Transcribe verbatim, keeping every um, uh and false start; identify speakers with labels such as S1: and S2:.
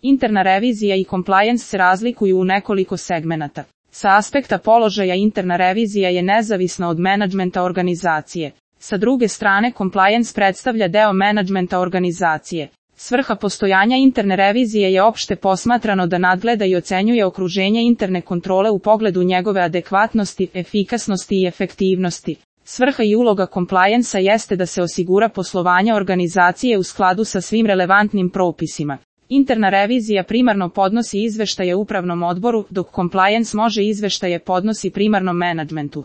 S1: Interna revizija i compliance se razlikuju u nekoliko segmenata. Sa aspekta položaja interna revizija je nezavisna od menadžmenta organizacije. Sa druge strane, compliance predstavlja deo menadžmenta organizacije. Svrha postojanja interne revizije je opšte posmatrano da nadgleda i ocenjuje okruženje interne kontrole u pogledu njegove adekvatnosti, efikasnosti i efektivnosti. Svrha i uloga compliance-a jeste da se osigura poslovanje organizacije u skladu sa svim relevantnim propisima. Interna revizija primarno podnosi izveštaje upravnom odboru, dok compliance može izveštaje podnosi primarnom menadžmentu.